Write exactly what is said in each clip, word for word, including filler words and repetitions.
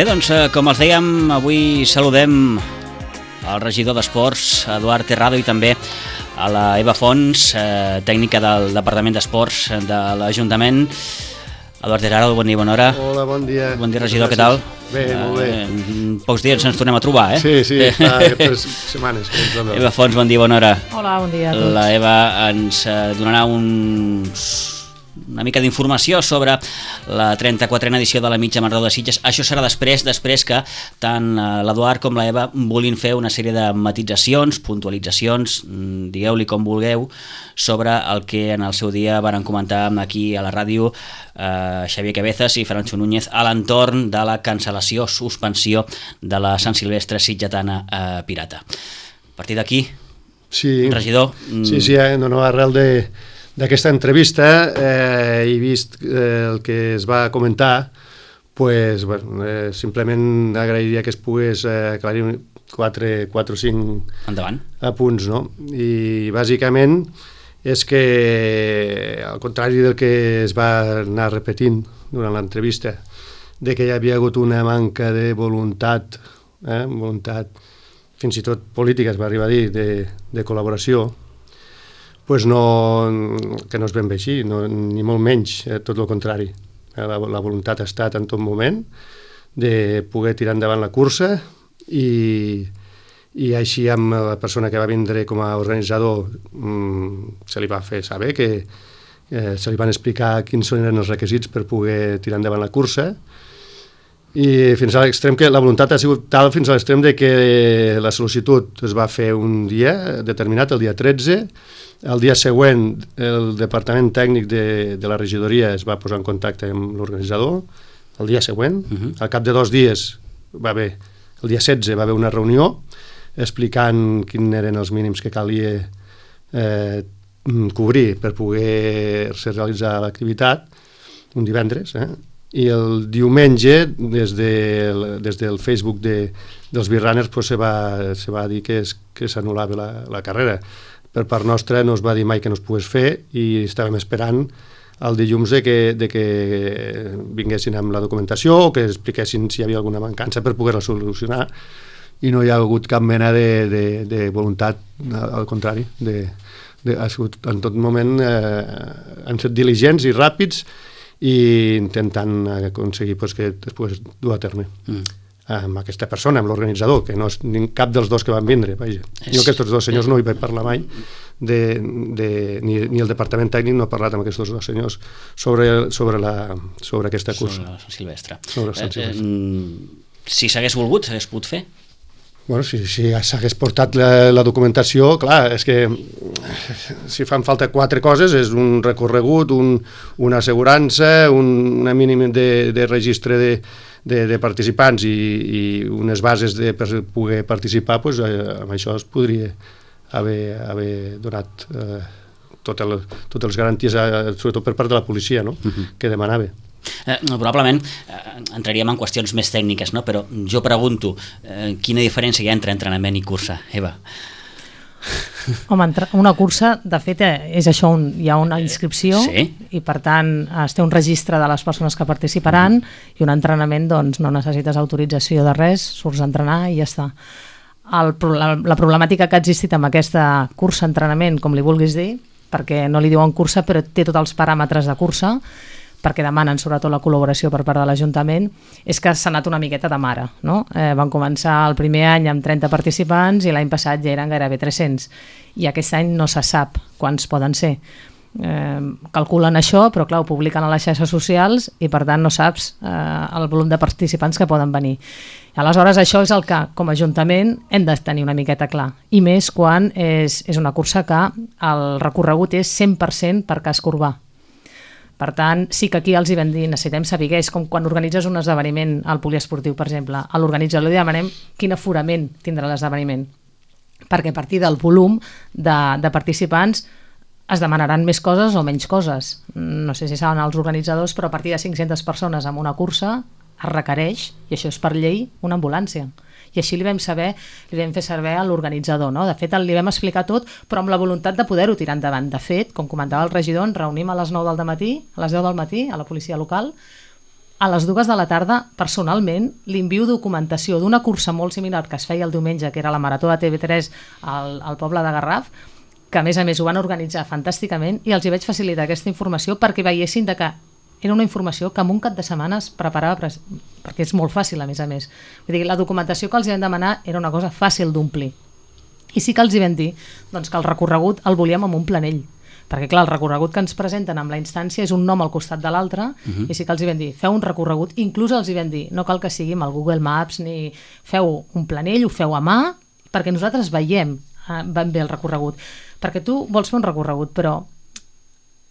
Bé, doncs, com els dèiem, avui saludem el regidor d'Esports, Eduard Terrado, i també a la Eva Fons, eh, tècnica del Departament d'Esports de l'Ajuntament. Eduard Terrado, bon dia, bona hora. Hola, bon dia. Bon dia, regidor, què tal? Bé, molt bé. Eh, en pocs dies ens tornem a trobar, eh? Sí, sí, fa tres setmanes que ens trobem. Eva Fons, bon dia, bona hora. Hola, bon dia a tots. La Eva ens donarà uns... una mica d'informació sobre la trenta-quatrena edició de la Mitja Marató de Sitges. Això serà després després que tant l'Eduard com la Eva vulguin fer una sèrie de matitzacions, puntualitzacions, digueu-li com vulgueu, sobre el que en el seu dia varen comentar aquí a la ràdio eh, Xavier Cabezas i Francho Núñez a l'entorn de la cancel·lació, suspensió de la Sant Silvestre sitgetana eh, pirata. A partir d'aquí, sí, regidor... Sí, sí, eh, no, no, arrel de... d'aquesta entrevista eh, he vist eh, el que es va comentar, pues, bueno, eh, simplement agrairia que es pogués eh, aclarir quatre, quatre o cinc Endavant. apunts, no? I bàsicament és que, al contrari del que es va anar repetint durant l'entrevista, de que hi havia hagut una manca de voluntat, eh, voluntat fins i tot política, es va arribar a dir, de, de col·laboració, pues no, que no és ben bé així, no, ni molt menys, eh, tot el contrari. La, la voluntat ha estat en tot moment de poder tirar endavant la cursa i, i així amb la persona que va vindre com a organitzador mmm, se li va fer saber que eh, se li van explicar quins eren els requisits per poder tirar endavant la cursa, i fins a l'extrem que la voluntat ha sigut tal fins a l'extrem de que la sol·licitud es va fer un dia determinat, el dia tretze. El dia següent el departament tècnic de, de la regidoria es va posar en contacte amb l'organitzador, el dia següent. Uh-huh. Al cap de dos dies va haver, el dia setze va haver una reunió explicant quins eren els mínims que calia eh, cobrir per poder realitzar l'activitat, un divendres, eh? I el diumenge des, de, des del Facebook de, dels Birrunners pues, se, va, se va dir que, es, que s'anul·lava la, la carrera. Per part nostra no es va dir mai que no es pogués fer i estàvem esperant el dilluns de que, de que vinguessin amb la documentació o que expliquessin si hi havia alguna mancança per poder-la solucionar, i no hi ha hagut cap mena de, de, de voluntat, al contrari, de, de, ha sigut en tot moment eh, han estat diligents i ràpids i intentant aconseguir pues, que es pogués dur a terme. Mm. Amb aquesta persona, amb l'organitzador, que no és cap dels dos que van vindre. Vaja. És... Jo aquests dos senyors no hi vaig parlar mai, de, de, ni, ni el departament tècnic no ha parlat amb aquests dos senyors sobre, sobre, la, sobre aquesta cursa. Sobre la Sant Silvestre. Sobre Sant Silvestre. Eh, eh, si s'hagués volgut, s'hagués pogut fer? Bueno, si, si s'hagués portat la, la documentació, clar, és que si fan falta quatre coses, és un recorregut, un, una assegurança, un, una mínima de, de registre de, de, de participants i, i unes bases de, per poder participar, pues, eh, amb això es podria haver, haver donat eh, totes les, totes les garanties, eh, sobretot per part de la policia, no? Uh-huh. Que demanava. Eh, probablement eh, entraríem en qüestions més tècniques, no? Però jo pregunto, eh, quina diferència hi ha entre entrenament i cursa, Eva? Home, una cursa, de fet, és això, un, hi ha una inscripció, sí. I per tant es té un registre de les persones que participaran, mm. i un entrenament, doncs, no necessites autorització de res, surts a entrenar i ja està. El, la, la problemàtica que ha existit amb aquesta cursa-entrenament, com li vulguis dir, perquè no li diuen cursa però té tots els paràmetres de cursa, perquè demanen sobretot la col·laboració per part de l'Ajuntament, és que s'ha anat una miqueta de mare, no? Eh, van començar el primer any amb trenta participants i l'any passat ja eren gairebé tres-cents, i aquest any no se sap quants poden ser. eh, calculen això, però clar, ho publiquen a les xarxes socials i per tant no saps eh, el volum de participants que poden venir. Aleshores això és el que com a Ajuntament hem de tenir una miqueta clar, i més quan és, és una cursa que el recorregut és cent per cent per casc urbà. Per tant, sí que aquí els hi vam dir, necessitem saber, és com quan organitzes un esdeveniment al poliesportiu, per exemple, a l'organitzador li demanem quin aforament tindrà l'esdeveniment, perquè a partir del volum de, de participants es demanaran més coses o menys coses. No sé si saben els organitzadors, però a partir de cinc-centes persones en una cursa es requereix, i això és per llei, una ambulància. I així li vam saber, li vam fer saber a l'organitzador, no? De fet, li vam explicar tot, però amb la voluntat de poder-ho tirar endavant. De fet, com comentava el regidor, ens reunim a les nou del matí, a les deu del matí, a la policia local. A les dues de la tarda, personalment, li envio documentació d'una cursa molt similar que es feia el diumenge, que era la Marató de T V tres al, al poble de Garraf, que a més a més ho van organitzar fantàsticament, i els hi vaig facilitar aquesta informació perquè veiessin de que era una informació que en un cap de setmana es preparava, perquè és molt fàcil a més a més. Vull dir, la documentació que els hi vam demanar era una cosa fàcil d'omplir. I sí que els hi vam dir doncs, que el recorregut el volíem amb un planell, perquè clar, el recorregut que ens presenten amb la instància és un nom al costat de l'altre, uh-huh. i sí que els hi vam dir, feu un recorregut, inclús els hi vam dir, no cal que sigui amb el Google Maps, ni feu un planell, ho feu a mà, perquè nosaltres veiem eh, ben bé el recorregut. Perquè tu vols fer un recorregut, però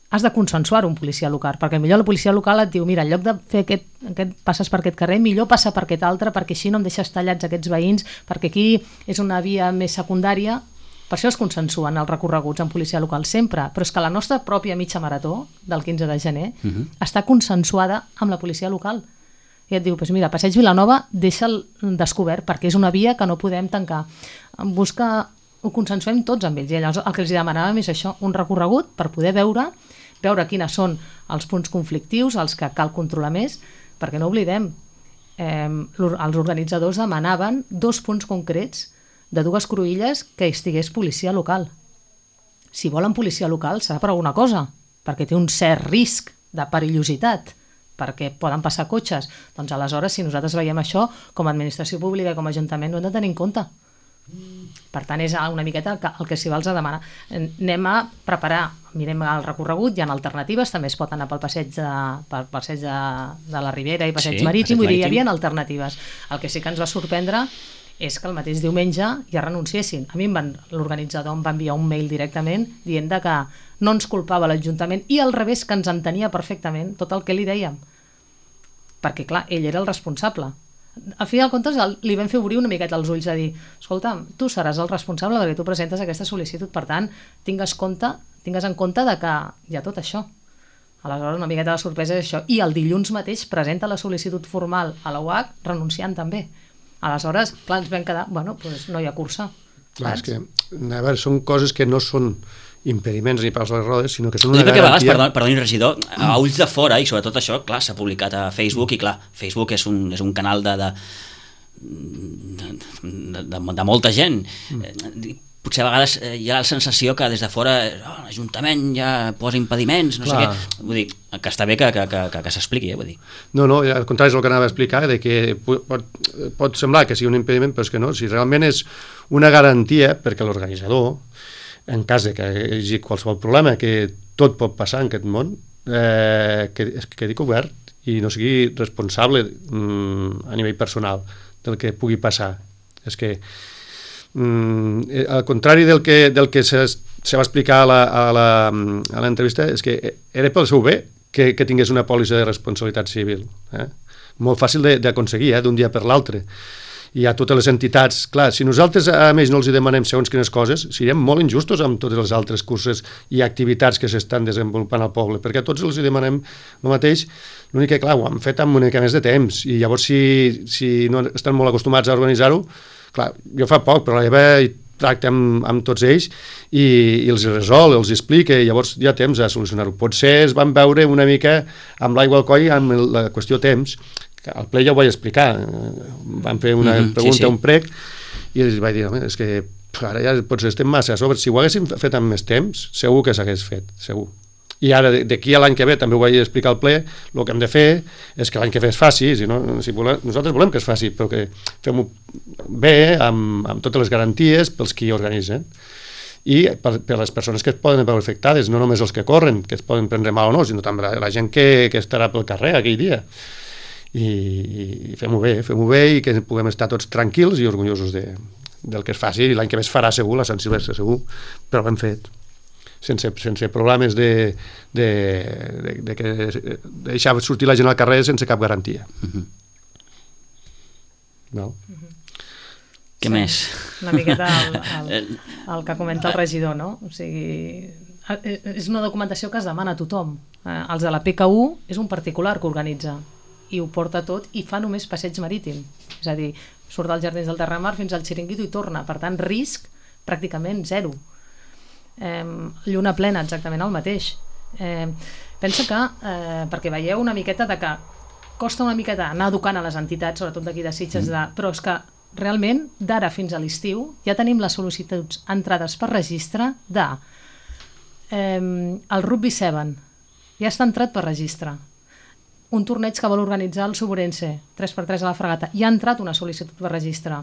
has de consensuar un policia local, perquè millor la policia local et diu, mira, en lloc de fer aquest, aquest passes per aquest carrer, millor passa per aquest altre, perquè així no em deixes tallats aquests veïns, perquè aquí és una via més secundària. Per això es consensuen els recorreguts en policia local sempre, però és que la nostra pròpia mitja marató del quinze de gener uh-huh. està consensuada amb la policia local. I et diu, pues mira, Passeig Vilanova deixa'l descobert perquè és una via que no podem tancar. Busca, ho consensuem tots amb ells, i llavors el que els demanàvem és això, un recorregut per poder veure veure quines són els punts conflictius, els que cal controlar més, perquè no oblidem, eh, els organitzadors demanaven dos punts concrets de dues cruïlles que estigués policia local. Si volen policia local serà per alguna cosa, perquè té un cert risc de perillositat, perquè poden passar cotxes. Doncs aleshores, si nosaltres veiem això, com a administració pública i com a ajuntament, ho hem de tenir en compte. Per tant, és una miqueta el que, el que s'hi va els a demanar. Anem a preparar, mirem el recorregut, hi ha alternatives, també es pot anar pel passeig de, pel passeig de, de la Ribera i passeig sí, marítim, vull dir, hi havia alternatives. El que sí que ens va sorprendre és que el mateix diumenge ja renunciessin. A mi l'organitzador em va enviar un mail directament dient que no ens culpava l'Ajuntament i al revés, que ens entenia perfectament tot el que li dèiem. Perquè, clar, ell era el responsable. A fi de comptes li vam fer obrir una miqueta els ulls a dir, escolta, tu seràs el responsable perquè tu presentes aquesta sol·licitud, per tant, tingues, compte, tingues en compte de que hi ha tot això. Aleshores, una miqueta de sorpresa és això. I el dilluns mateix presenta la sol·licitud formal a la U A C renunciant també. Aleshores, clar, ens vam quedar, bueno, doncs no hi ha cursa. Clar, és que, a veure, són coses que no són impediments ni per les rodes, sinó que són una garantia... Perquè a vegades, perdoni, regidor, a ulls de fora, i sobretot això, clar, s'ha publicat a Facebook, i clar, Facebook és un, és un canal de, de, de, de, de, de molta gent. Mm. Potser a vegades hi ha la sensació que des de fora oh, l'Ajuntament ja posa impediments, no clar. sé què. Vull dir, que està bé que, que, que, que, que s'expliqui, eh, vull dir. No, no, al contrari és el que anava a explicar, de que pot, pot semblar que sigui un impediment, però és que no, si realment és una garantia perquè l'organitzador, en cas de que hi hagi qualsevol problema, que tot pot passar en aquest món, eh, que, que quedi cobert i no sigui responsable mm, a nivell personal del que pugui passar. És que, mm, al contrari del que, del que se, se va explicar a la, a la, a l'entrevista, és que era pel seu bé que, que tingués una pòlissa de responsabilitat civil. Eh? Molt fàcil d'aconseguir, eh, d'un dia per l'altre. I a totes les entitats, clar, si nosaltres a més no els hi demanem segons quines coses, seriem molt injustos amb totes les altres curses i activitats que s'estan desenvolupant al poble, perquè a tots els hi demanem el mateix, l'únic que, clar, ho han fet amb una mica més de temps, i llavors si, si no estan molt acostumats a organitzar-ho, clar, jo fa poc, però la Eva tracta amb, amb tots ells i, i els resol, els explica, i llavors hi ha temps a solucionar-ho. Potser es van veure una mica amb l'aigua al coll amb la qüestió temps. Al ple ja ho vaig explicar, van fer una mm-hmm, pregunta, sí, sí. un prec, i els vaig dir, és que ara ja potser estem massa a sobre, si ho haguéssim fet amb més temps, segur que s'hagués fet, segur. I ara, d'aquí a l'any que ve, també ho vaig explicar al ple, el que hem de fer és que l'any que ve es faci, si no, si volem, nosaltres volem que es faci, però que fem-ho bé, amb, amb totes les garanties pels qui organitzen. i per, per les persones que es poden veure afectades, no només els que corren, que es poden prendre mal o no, sinó també la, la gent que, que estarà pel carrer aquell dia. I, i fem-ho bé, fem-ho bé i que puguem estar tots tranquils i orgullosos de, del que es faci, i l'any que ve es farà segur, la Sant Silvestre segur, però ben fet, sense, sense problemes de, de, de, de, que, de deixar sortir la gent al carrer sense cap garantia. Uh-huh. No? Uh-huh. Què sí, més? Una miqueta el, el, el que comenta el regidor, no? O sigui, és una documentació que es demana a tothom. Eh, els de la P K U és un particular que organitza i ho porta tot i fa només passeig marítim. És a dir, surt dels Jardins del Terramar fins al Xiringuito i torna. Per tant, risc pràcticament zero. Eh, lluna plena, exactament el mateix. Eh, pensa que, eh, perquè veieu una miqueta de que costa una miqueta anar educant a les entitats, sobretot d'aquí de Sitges, de, però és que realment, d'ara fins a l'estiu, ja tenim les sol·licituds entrades per registre de eh, el Rugby set, ja està entrat per registre. Un torneig que vol organitzar el Suburense, tres per tres a la Fragata, ja ha entrat una sol·licitud per registre.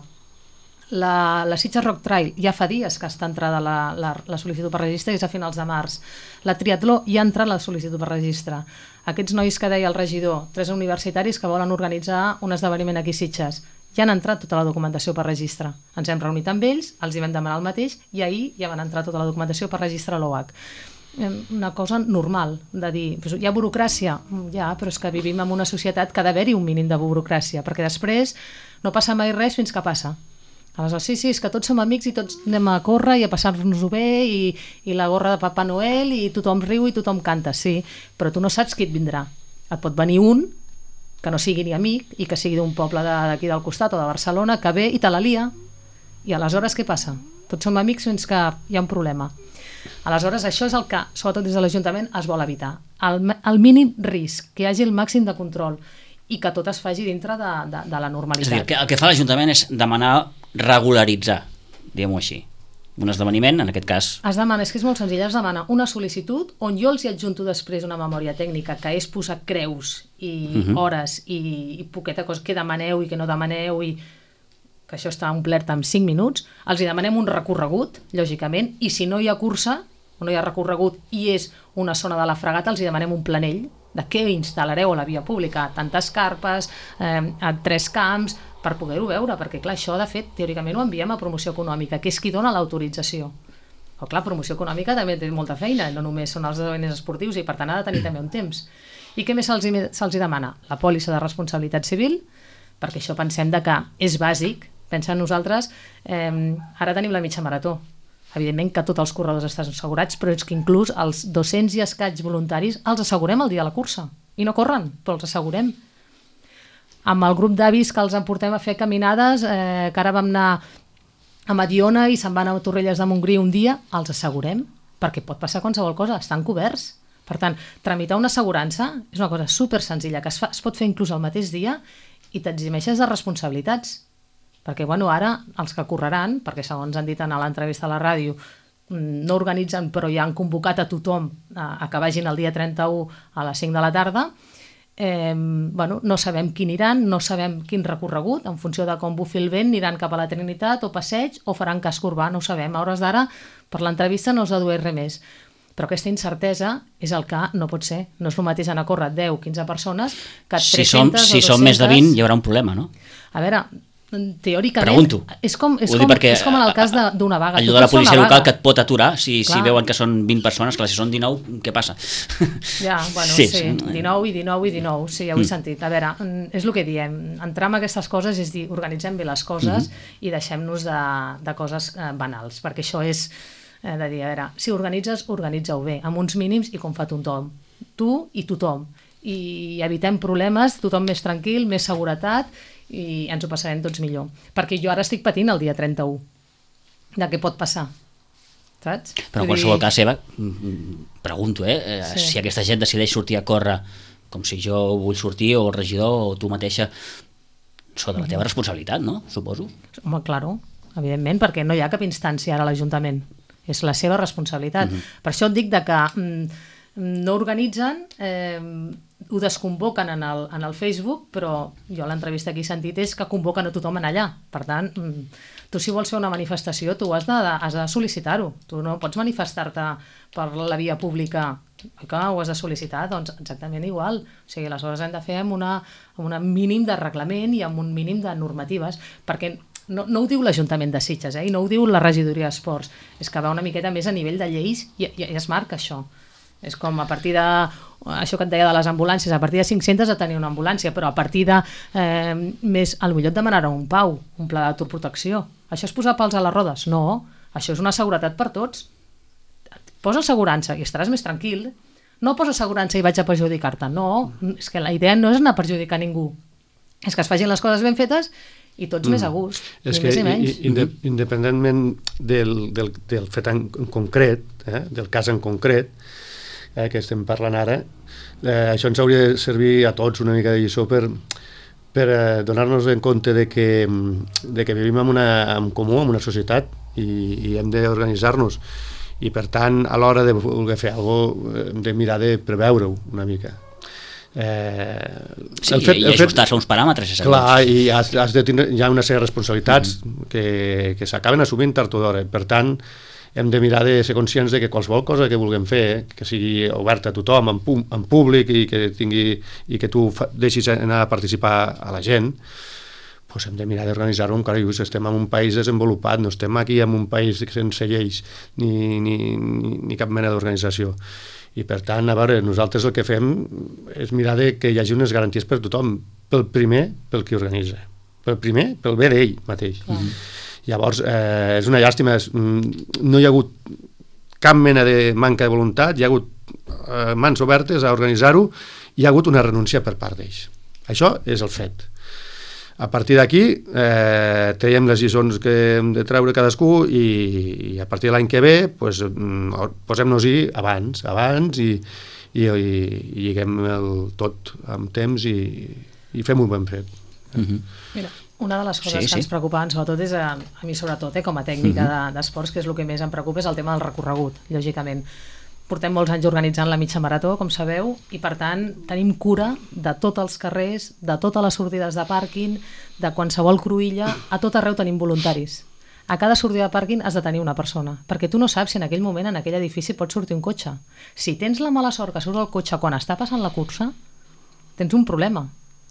La, la Sitges Rock Trail ja fa dies que està entrada la, la, la sol·licitud per registre, és a finals de març. La Triatló ja ha entrat la sol·licitud per registre. Aquests nois que deia el regidor, tres universitaris que volen organitzar un esdeveniment aquí a Sitges, ja han entrat tota la documentació per registre. Ens hem reunit amb ells, els hi vam demanar el mateix i ahir ja van entrar tota la documentació per registre a l'O H. Una cosa normal de dir, hi ha burocràcia? Ja, però és que vivim en una societat que ha d'haver-hi un mínim de burocràcia, perquè després no passa mai res fins que passa. Aleshores, sí, sí, és que tots som amics i tots anem a córrer i a passar-nos-ho bé i, i la gorra de Papa Noel i tothom riu i tothom canta, sí, però tu no saps qui et vindrà. Et pot venir un que no sigui ni amic i que sigui d'un poble d'aquí del costat o de Barcelona, que ve i te la lia. I aleshores què passa? Tots som amics fins que hi ha un problema. Aleshores això és el que, sobretot des de l'Ajuntament, es vol evitar. El, el mínim risc, que hi hagi el màxim de control i que tot es faci dintre de, de, de la normalitat. És a dir, que el que fa l'Ajuntament és demanar regularitzar, diguem-ho així. Un esdeveniment, en aquest cas... Es demana, és que és molt senzill, es demana una sol·licitud on jo els hi adjunto després una memòria tècnica que és posar creus i uh-huh. hores i, i poqueta cosa que demaneu i que no demaneu i que això està omplert en cinc minuts, els hi demanem un recorregut, lògicament, i si no hi ha cursa o no hi ha recorregut i és una zona de la Fragata, els hi demanem un planell de què instal·lareu a la via pública, tantes carpes, eh, a tres camps, per poder-ho veure, perquè clar, això de fet teòricament ho enviem a promoció econòmica, que és qui dona l'autorització. Però clar, promoció econòmica també té molta feina, no només són els esdeveniments esportius i per tant ha de tenir també un temps. I què més se'ls se'ls demana? La pòlissa de responsabilitat civil, perquè això pensem de que és bàsic, pensa en nosaltres, eh, ara tenim la mitja marató, evidentment que tots els corredors estan assegurats, però és que inclús els dos-cents i escaig voluntaris els assegurem el dia de la cursa, i no corren, però els assegurem. Amb el grup d'avis que els emportem a fer caminades, eh, que ara vam anar a Mediona i se'n van a Torrelles de Montgrí un dia, els assegurem, perquè pot passar qualsevol cosa, estan coberts. Per tant, tramitar una assegurança és una cosa super senzilla, que es, fa, es pot fer inclús el mateix dia i t'eximeixes de responsabilitats. Perquè bueno, ara els que correran, perquè segons han dit en l'entrevista a la ràdio, no organitzen però ja han convocat a tothom a, a que vagin el dia trenta-u a les cinc de la tarda, Eh, bueno, no sabem qui aniran, no sabem quin recorregut, en funció de com bufi el vent aniran cap a la Trinitat o passeig o faran casc urbà, no ho sabem. A hores d'ara, per l'entrevista no es dedueix res més. Però aquesta incertesa és el que no pot ser. No és el mateix anar a córrer deu o quinze persones que tres-centes si som, si o dos-centes... som més de vint hi haurà un problema, no? A veure, teòricament... Pregunto. És com, és com, és com en el cas d'una vaga. Allò de la policia local que et pot aturar si, si veuen que són vint persones, clar, si són dinou, què passa? Ja, bueno, sí, sí, dinou i dinou i dinou, sí, ja ho he mm. sentit. A veure, és el que diem, entrar en aquestes coses és dir, organitzem bé les coses mm-hmm. i deixem-nos de, de coses eh, banals, perquè això és eh, de dir, a veure, si organitzes, organitza-ho bé, amb uns mínims i com fa tothom, tu i tothom, i evitem problemes, tothom més tranquil, més seguretat, i ens ho passarem tots millor, perquè jo ara estic patint el dia trenta-u de què pot passar, saps? Però en qualsevol cas, Eva, pregunto, eh? Sí. Si aquesta gent decideix sortir a córrer com si jo vull sortir, o el regidor o tu mateixa, sota la teva responsabilitat, no? Suposo. Home, claro, evidentment, perquè no hi ha cap instància ara a l'Ajuntament, és la seva responsabilitat. Mm-hmm. Per això et dic de que mm, no organitzen, eh, ho desconvoquen en el, en el Facebook, però jo l'entrevista que he sentit és que convoquen a tothom en allà. Per tant, tu si vols fer una manifestació, tu has de, has de sol·licitar-ho. Tu no pots manifestar-te per la via pública, que ho has de sol·licitar, doncs exactament igual. O sigui, les coses hem de fer amb, una, amb un mínim de reglament i amb un mínim de normatives, perquè no, no ho diu l'Ajuntament de Sitges, eh? I no ho diu la regidoria d'Esports, és que va una miqueta més a nivell de lleis i, i, i es marca això. És com a partir de, això que et deia de les ambulàncies, a partir de cinc-centes de tenir una ambulància, però a partir de eh, més, potser et demanarà un pau, un pla d'autoprotecció. Això és posar pals a les rodes? No, això és una seguretat per tots. Posa assegurança i estaràs més tranquil. No posa assegurança i vaig a perjudicar-te. No, és que la idea no és anar a perjudicar ningú. És que es facin les coses ben fetes i tots mm. més a gust, és ni que més ni menys. Inde independentment del, del, del fet en concret, eh, del cas en concret, eh, que estem parlant ara, eh, això ens hauria de servir a tots una mica de lliçó per, per eh, donar-nos en compte de que, de que vivim en, una, en comú, en una societat, i, i hem d'organitzar-nos. I per tant, a l'hora de voler fer alguna cosa, hem de mirar de preveure-ho una mica. Eh, sí, el fet, i ajustar-se a uns paràmetres. Clar, i has, has de tindre, hi ha una sèrie de responsabilitats mm-hmm. que, que s'acaben assumint tard o d'hora. Per tant, hem de mirar de ser conscients de que qualsevol cosa que vulguem fer, que sigui oberta a tothom, en, pu en públic, i que, tingui, i que tu deixis anar a participar a la gent, doncs hem de mirar d'organitzar-ho. Encara estem en un país desenvolupat, no estem aquí en un país sense lleis ni, ni, ni, ni cap mena d'organització. I per tant, a veure, nosaltres el que fem és mirar de que hi hagi unes garanties per tothom, pel primer, pel qui organitza, pel primer, pel bé d'ell mateix. Mm. Llavors, eh, és una llàstima, no hi ha hagut cap mena de manca de voluntat, hi ha hagut eh, mans obertes a organitzar-ho, hi ha hagut una renúncia per part d'ells. Això és el fet. A partir d'aquí, eh, traiem les lliçons que hem de treure cadascú i, i a partir de l'any que ve pues, posem-nos-hi abans, abans i, i, i, i lliguem el tot amb temps i, i fem un ben fet. Mm-hmm. Mira, una de les coses sí, que sí. ens preocupaven sobretot és a, a mi sobretot, eh, com a tècnica mm-hmm. d'esports, de, que és el que més em preocupa, és el tema del recorregut, lògicament. Portem molts anys organitzant la mitja marató, com sabeu, i per tant tenim cura de tots els carrers, de totes les sortides de pàrquing, de qualsevol cruïlla, a tot arreu tenim voluntaris. A cada sortida de pàrquing has de tenir una persona, perquè tu no saps si en aquell moment, en aquell edifici, pot sortir un cotxe. Si tens la mala sort que surt el cotxe quan està passant la cursa, tens un problema.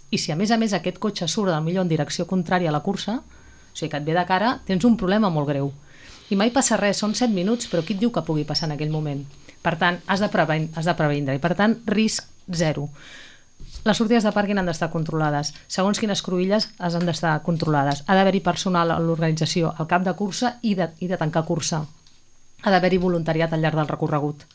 I si a més a més aquest cotxe surt del millor en direcció contrària a la cursa, o sigui que et ve de cara, tens un problema molt greu. I mai passa res, són set minuts, però qui et diu que pugui passar en aquell moment? Per tant, has de previndre, has de previndre i per tant, risc zero. Les sortides de pàrquing han d'estar controlades. Segons quines cruïlles han d'estar controlades. Ha d'haver-hi personal a l'organització al cap de cursa i de, i de tancar cursa. Ha d'haver-hi voluntariat al llarg del recorregut.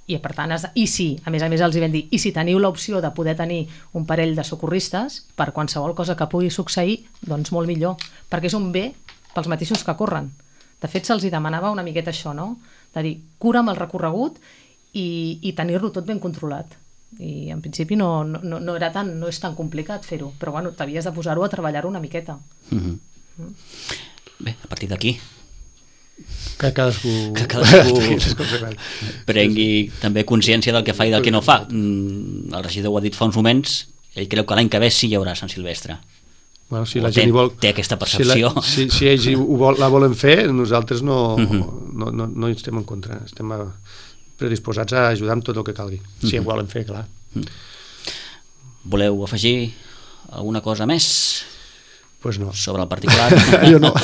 I per tant, has de, i si, a més a més els hi vam dir, i si teniu l'opció de poder tenir un parell de socorristes per qualsevol cosa que pugui succeir, doncs molt millor, perquè és un bé pels mateixos que corren. De fet, se'ls demanava una miqueta això, no? De dir, cura amb el recorregut i, i tenir-lo tot ben controlat. I en principi no, no, no, era tan, no és tan complicat fer-ho, però bueno, t'havies de posar-ho a treballar-ho una miqueta. Mm-hmm. mm. Bé, a partir d'aquí que cadascú, que cadascú prengui també consciència del que fa i del que no fa. El regidor ho ha dit fa uns moments, ell creu que l'any que ve sí hi haurà Sant Silvestre. Bueno, si la gent té, vol, té aquesta percepció. Si, la, si, si ells ho vol, la volen fer, nosaltres no, uh-huh. no, no, no hi estem en contra. Estem predisposats a ajudar amb tot el que calgui. Si uh-huh. ho volen fer, clar. Uh-huh. Voleu afegir alguna cosa més? Pues no. Sobre el particular? Jo no.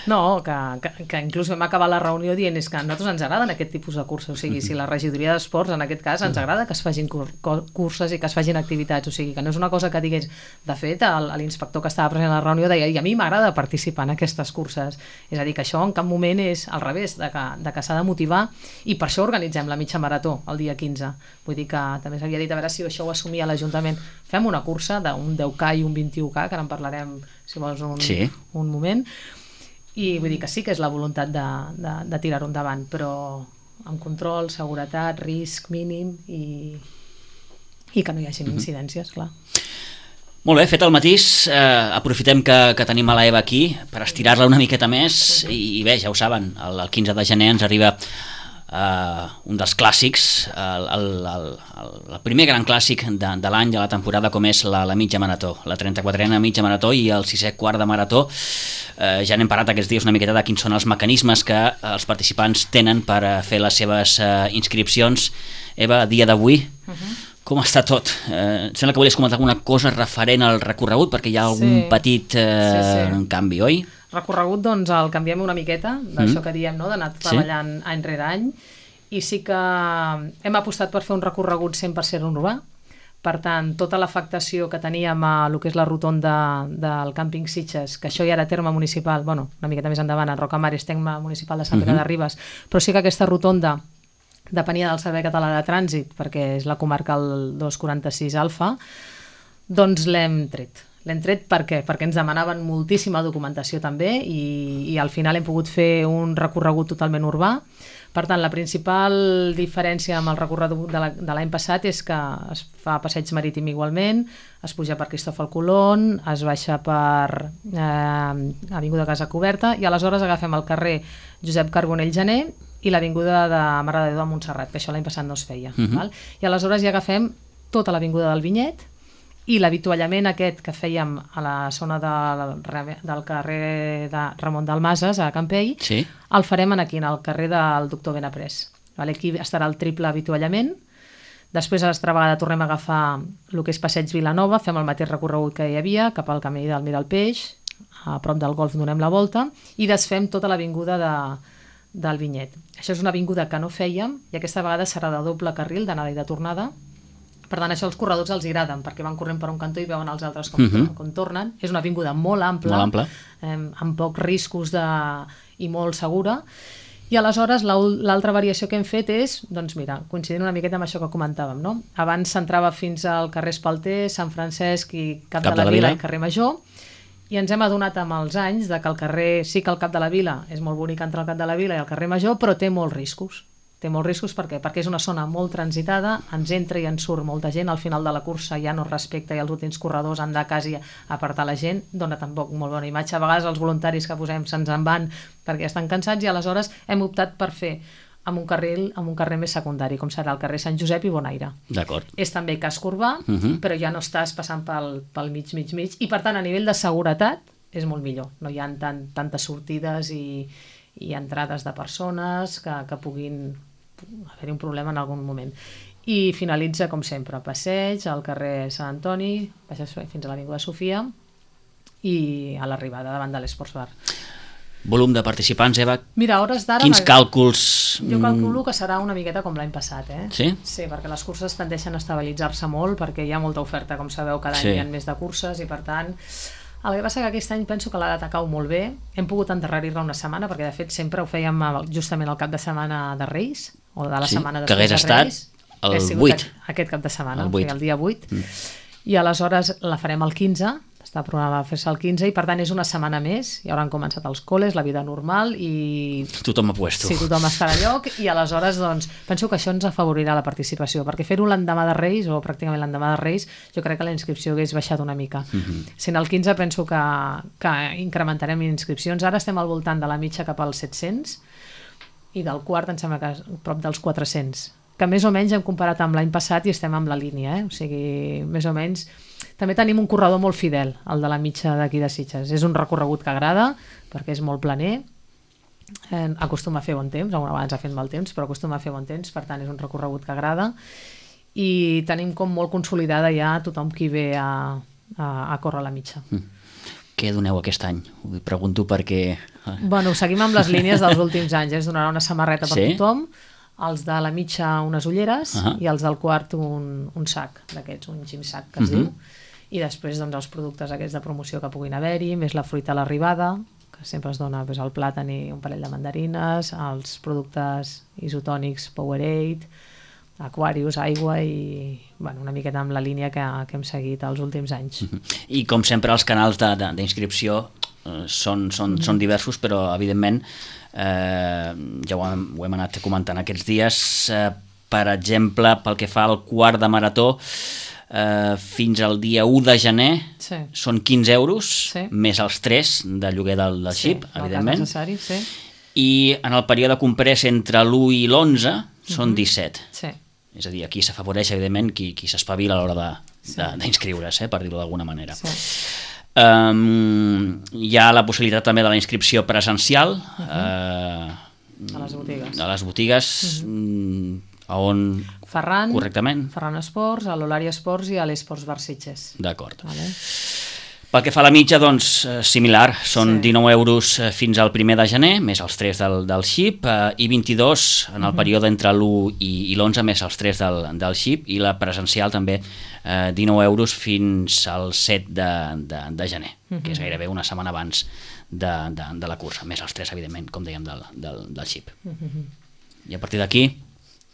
No, que, que, que inclús vam acabar la reunió dient és que a nosaltres ens agraden aquest tipus de curses, o sigui, si la regidoria d'esports en aquest cas ens agrada que es facin cur curses i que es facin activitats, o sigui, que no és una cosa que digués, de fet, l'inspector que estava present a la reunió deia, i a mi m'agrada participar en aquestes curses, és a dir, que això en cap moment és al revés, de que, de que s'ha de motivar, i per això organitzem la mitja marató el dia quinze, vull dir que també s'havia dit a veure si això ho assumia l'Ajuntament, fem una cursa d'un deu K i un vint-i-u K, que ara en parlarem si vols un, sí. un moment, i vull dir que sí que és la voluntat de, de, de tirar-ho endavant, però amb control, seguretat, risc mínim i, i que no hi hagi mm-hmm. incidències, clar. Molt bé, fet el matís, eh, aprofitem que, que tenim a l'Eva aquí per estirar-la una miqueta més i, i bé, ja ho saben, el, el quinze de gener ens arriba Uh, un dels clàssics, el, el, el, el, el primer gran clàssic de, de l'any, de la temporada, com és la, la mitja marató, la trenta-quatrena mitja marató i el sisè quart de marató. Uh, ja n'hem parlat aquests dies una miqueta de quins són els mecanismes que els participants tenen per uh, fer les seves uh, inscripcions. Eva, a dia d'avui, uh-huh. com està tot? Uh, sembla que volies comentar alguna cosa referent al recorregut, perquè hi ha algun sí. petit uh, sí, sí. canvi, oi? Recorregut, doncs, el canviem una miqueta, d'això mm. que diem, no?, d'anar treballant sí. any rere any, i sí que hem apostat per fer un recorregut cent per cent urbà. Per tant, tota l'afectació que teníem a el que és la rotonda del càmping Sitges, que això ja era terme municipal, bueno, una miqueta més endavant, a Rocamar és terme municipal de Sant Pere uh-huh. de Ribes, però sí que aquesta rotonda depenia del Servei Català de Trànsit, perquè és la comarca el dos quaranta-sis Alfa, doncs l'hem tret. L'hem tret per què? Perquè ens demanaven moltíssima documentació també i, i al final hem pogut fer un recorregut totalment urbà. Per tant, la principal diferència amb el recorregut de l'any passat és que es fa passeig marítim igualment, es puja per Cristòfol Colón, es baixa per eh, Avinguda Casa Coberta i aleshores agafem el carrer Josep Carbonell Gener i l'avinguda de Mare de Déu de Montserrat, que això l'any passat no es feia. Uh-huh. Val? I aleshores ja agafem tota l'avinguda del Vinyet i l'avituallament aquest que fèiem a la zona de, del carrer de Ramon Dalmases, a Campell, sí. el farem aquí, al carrer del Doctor Benaprés. Vale? Aquí estarà el triple avituallament. Després, a l'altra vegada, tornem a agafar el que és Passeig Vilanova, fem el mateix recorregut que hi havia, cap al camí del Miralpeix, a prop del golf donem la volta, i desfem tota l'avinguda de, del Vinyet. Això és una avinguda que no fèiem, i aquesta vegada serà de doble carril, d'anada i de tornada. Per tant, això als corredors els agraden, perquè van corrent per un cantó i veuen els altres com, uh-huh. com tornen. És una avinguda molt ampla, molt ampla. Eh, amb pocs riscos de... i molt segura. I aleshores l'altra variació que hem fet és, doncs mira, coincidint una miqueta amb això que comentàvem, no? Abans s'entrava fins al carrer Espalter, Sant Francesc i Cap, Cap de la, de la Vila i carrer Major, i ens hem adonat amb els anys de que el carrer, sí que el Cap de la Vila és molt bonic entre el Cap de la Vila i el carrer Major, però té molts riscos. Té molts riscos per què? Perquè és una zona molt transitada, ens entra i ens surt molta gent, al final de la cursa ja no es respecta i els últims corredors han de quasi apartar la gent, dona tampoc molt bona imatge. A vegades els voluntaris que posem se'ns en van perquè estan cansats i aleshores hem optat per fer amb un carril, amb un carrer més secundari, com serà el carrer Sant Josep i Bonaire. D'acord. És també casc urbà, uh-huh. però ja no estàs passant pel, pel mig, mig, mig, i per tant a nivell de seguretat és molt millor. No hi ha tant, tantes sortides i, i entrades de persones que, que puguin haver-hi un problema en algun moment. I finalitza, com sempre, passeig al carrer Sant Antoni, baixes fins a l'Avinguda Sofia i a l'arribada davant de l'Esports Bar. Volum de participants, Eva? Mira, a hores d'ara... Quins càlculs? Jo calculo que serà una miqueta com l'any passat, eh? Sí? Sí, perquè les curses tendeixen a estabilitzar-se molt, perquè hi ha molta oferta, com sabeu, cada sí. any hi ha més de curses i, per tant... El que passa que aquest any penso que la data cau molt bé. Hem pogut endarrerir-la una setmana, perquè de fet sempre ho fèiem justament el cap de setmana de Reis, o de la sí, setmana després de Reis. Que hagués estat el vuit. Aquest cap de setmana, el, o sigui, el dia vuit. Mm. I aleshores la farem el quinze, està programada a fer-se el quinze, i per tant és una setmana més, ja hauran començat els col·les, la vida normal, i... Tothom ha puesto. Sí, tothom estarà a lloc, i aleshores doncs, penso que això ens afavorirà la participació, perquè fer-ho l'endemà de Reis, o pràcticament l'endemà de Reis, jo crec que la inscripció hagués baixat una mica. Mm-hmm. Sent el quinze penso que, que incrementarem inscripcions. Ara estem al voltant de la mitja cap als set-cents, i del quart em sembla que prop dels quatre-cents, que més o menys hem comparat amb l'any passat i estem amb la línia, eh? O sigui, més o menys... També tenim un corredor molt fidel, el de la mitja d'aquí de Sitges. És un recorregut que agrada, perquè és molt planer, eh, acostuma a fer bon temps, alguna vegada ens ha fet mal temps, però acostuma a fer bon temps, per tant és un recorregut que agrada, i tenim com molt consolidada ja tothom qui ve a, a, a córrer la mitja. Mm. Què doneu aquest any? Ho pregunto perquè... Bueno, seguim amb les línies dels últims anys, eh? Es donarà una samarreta per sí? tothom, els de la mitja unes ulleres uh-huh. i els del quart un, un sac d'aquests, un gym-sac que es uh-huh. diu, i després doncs, els productes aquests de promoció que puguin haver-hi, més la fruita a l'arribada, que sempre es dona doncs, el plàtan i un parell de mandarines, els productes isotònics Powerade, Aquarius, aigua i bueno, una miqueta amb la línia que, que hem seguit els últims anys. Uh-huh. I com sempre els canals d'inscripció eh, són, són, uh-huh. són diversos, però evidentment eh, ja ho hem, ho hem anat comentant aquests dies, eh, per exemple pel que fa al quart de marató, Uh, fins al dia u de gener sí. són quinze euros, sí. més els tres de lloguer del, del sí, xip, evidentment. Necessari, sí. i en el període comprès entre l'u i l'onze són disset. Sí. És a dir, aquí s'afavoreix, evidentment, qui, qui s'espavila a l'hora d'inscriure's, sí. eh, per dir-ho d'alguna manera. Sí. Um, hi ha la possibilitat també de la inscripció presencial uh -huh. uh, a les botigues, a les botigues uh -huh. a on... Ferran, correctament. Ferran Esports, a l'Olari Esports i a l'Esports Bar Sitges. D'acord. Vale. Pel que fa a la mitja, doncs, similar, són sí. dinou euros fins al primer de gener, més els tres del, del xip, eh, i vint-i-dos en el uh -huh. període entre l'u i, i l'onze, més els tres del, del xip, i la presencial també eh, dinou euros fins al set de, de, de gener, uh -huh. que és gairebé una setmana abans de, de, de la cursa, més els tres, evidentment, com dèiem, del, del, del xip. Uh -huh. I a partir d'aquí...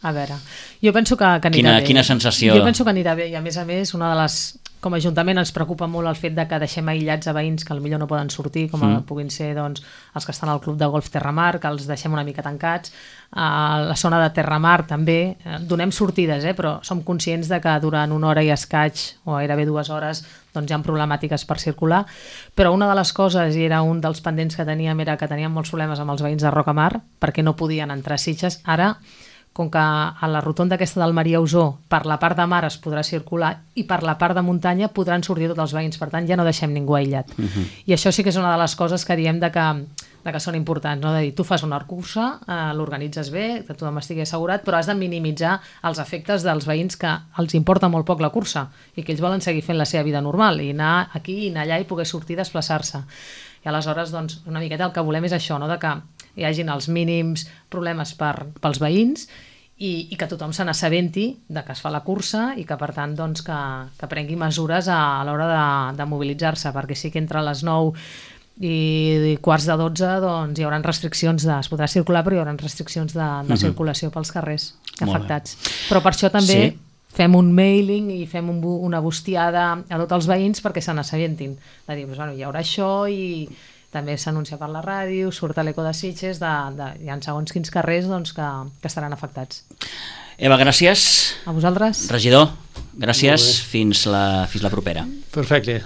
A veure, jo penso que, que anirà quina, bé. Quina sensació... Jo penso que anirà bé i a més a més una de les... Com a Ajuntament ens preocupa molt el fet de que deixem aïllats a veïns que potser no poden sortir, com mm. puguin ser doncs, els que estan al club de golf Terramar, que els deixem una mica tancats. A la zona de Terramar també donem sortides, eh? Però som conscients de que durant una hora i escaig o gairebé dues hores doncs hi ha problemàtiques per circular, però una de les coses, i era un dels pendents que teníem, era que teníem molts problemes amb els veïns de Rocamar perquè no podien entrar a Sitges. Ara, com que a la rotonda aquesta del Maria Usó per la part de mar es podrà circular i per la part de muntanya podran sortir tots els veïns, per tant ja no deixem ningú aïllat. Uh-huh. I això sí que és una de les coses que diem de que, de que són importants, no? De dir, tu fas una cursa, eh, l'organitzes bé, que tothom estigui assegurat, però has de minimitzar els efectes dels veïns que els importa molt poc la cursa i que ells volen seguir fent la seva vida normal i anar aquí i anar allà i poder sortir i desplaçar-se. I aleshores, doncs, una miqueta el que volem és això, no? De que hi hagin els mínims problemes per, pels veïns i, i que tothom se n'assabenti de que es fa la cursa i que, per tant, doncs, que, que prengui mesures a, a l'hora de, de mobilitzar-se, perquè sí que entre les nou i quarts de dotze doncs, hi haurà restriccions, de, es podrà circular, però hi haurà restriccions de, de uh-huh. circulació pels carrers afectats. Però per això també sí. fem un mailing i fem un, una bustiada a tots els veïns perquè se n'assabentin. De dir, doncs, bueno, hi haurà això i també s'anuncia per la ràdio, surt a l'Eco de Sitges, de, de, hi ha segons quins carrers doncs, que, que estaran afectats. Eva, gràcies. A vosaltres. Regidor, gràcies. Fins la, fins la propera. Perfecte.